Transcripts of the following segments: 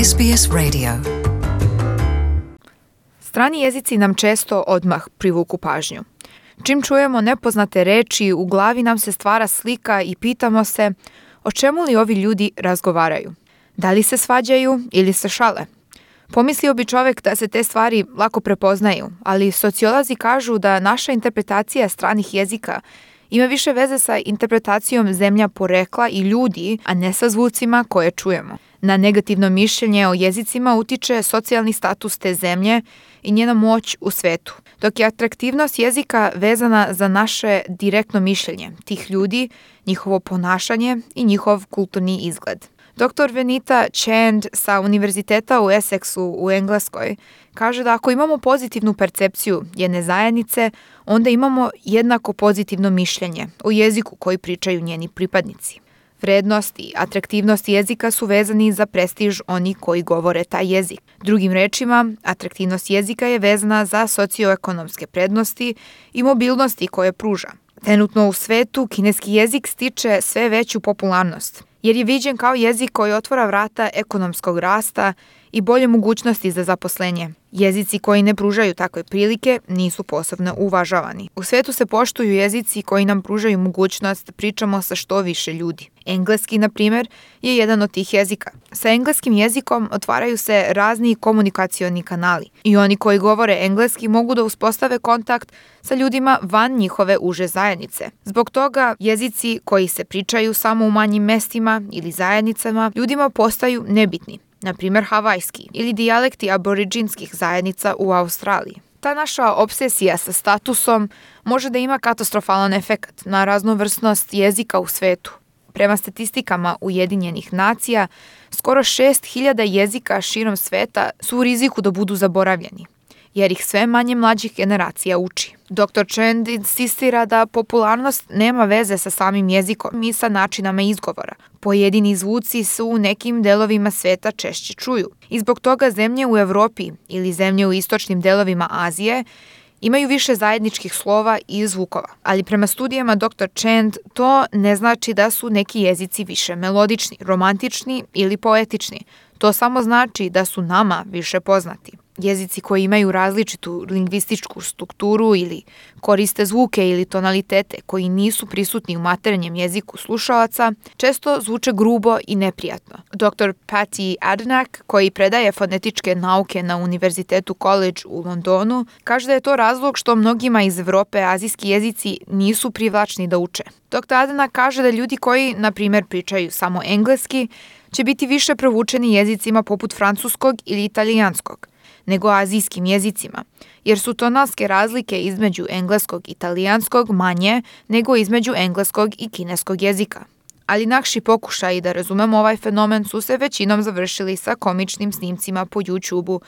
SBS Radio. Strani jezici nam često odmah privuku pažnju. Čim čujemo nepoznate reči, u glavi nam se stvara slika i pitamo se o čemu li ovi ljudi razgovaraju. Da li se svađaju ili se šale? Pomislio bi čovjek da se te stvari lako prepoznaju, ali sociolozi kažu da naša interpretacija stranih jezika ima više veze sa interpretacijom zemlja porekla i ljudi, a ne sa zvucima koje čujemo. Na negativno mišljenje o jezicima utiče socijalni status te zemlje i njena moć u svetu, dok je atraktivnost jezika vezana za naše direktno mišljenje tih ljudi, njihovo ponašanje i njihov kulturni izgled. Dr. Venita Chand sa Univerziteta u Essexu u Engleskoj kaže da ako imamo pozitivnu percepciju jedne zajednice, onda imamo jednako pozitivno mišljenje o jeziku koji pričaju njeni pripadnici. Vrednost i atraktivnost jezika su vezani za prestiž onih koji govore taj jezik. Drugim rečima, atraktivnost jezika je vezana za socioekonomske prednosti i mobilnosti koje pruža. Trenutno u svetu kineski jezik stiče sve veću popularnost, jer je viđen kao jezik koji otvara vrata ekonomskog rasta i bolje mogućnosti za zaposlenje. Jezici koji ne pružaju takve prilike nisu posebno uvažavani. U svetu se poštuju jezici koji nam pružaju mogućnost da pričamo sa što više ljudi. Engleski, na primjer, je jedan od tih jezika. Sa engleskim jezikom otvaraju se razni komunikacioni kanali i oni koji govore engleski mogu da uspostave kontakt sa ljudima van njihove uže zajednice. Zbog toga jezici koji se pričaju samo u manjim mestima ili zajednicama ljudima postaju nebitni. Na primjer havajski ili dijalekti aboriđinskih zajednica u Australiji. Ta naša obsesija sa statusom može da ima katastrofalan efekat na raznovrsnost jezika u svetu. Prema statistikama Ujedinjenih nacija, skoro 6.000 jezika širom sveta su u riziku da budu zaboravljeni, jer ih sve manje mlađih generacija uči. Dr. Chand insistira da popularnost nema veze sa samim jezikom i sa načinama izgovora. Pojedini zvuci su u nekim delovima sveta češće čuju i zbog toga zemlje u Evropi ili zemlje u istočnim delovima Azije imaju više zajedničkih slova i zvukova. Ali prema studijama Dr. Chand to ne znači da su neki jezici više melodični, romantični ili poetični. To samo znači da su nama više poznati. Jezici koji imaju različitu lingvističku strukturu ili koriste zvuke ili tonalitete koji nisu prisutni u maternjem jeziku slušalaca, često zvuče grubo i neprijatno. Dr. Patty Adnak, koji predaje fonetičke nauke na Univerzitetu College u Londonu, kaže da je to razlog što mnogima iz Evrope azijski jezici nisu privlačni da uče. Dr. Adnak kaže da ljudi koji, na primjer, pričaju samo engleski, će biti više provučeni jezicima poput francuskog ili italijanskog nego azijskim jezicima, jer su tonalske razlike između engleskog i italijanskog manje nego između engleskog i kineskog jezika. Ali naši pokušaji da razumemo ovaj fenomen su se većinom završili sa komičnim snimcima po YouTube-u,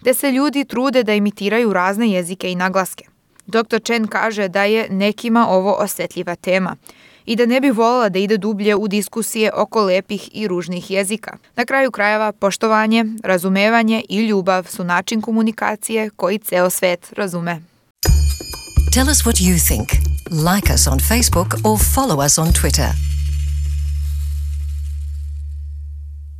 gde se ljudi trude da imitiraju razne jezike i naglaske. Dr. Chen kaže da je nekima ovo osetljiva tema i da ne bi voljela da ide dublje u diskusije oko lepih i ružnih jezika. Na kraju krajeva, poštovanje, razumevanje i ljubav su način komunikacije koji ceo svet razume. Tell us what you think. Like us on Facebook or follow us on Twitter.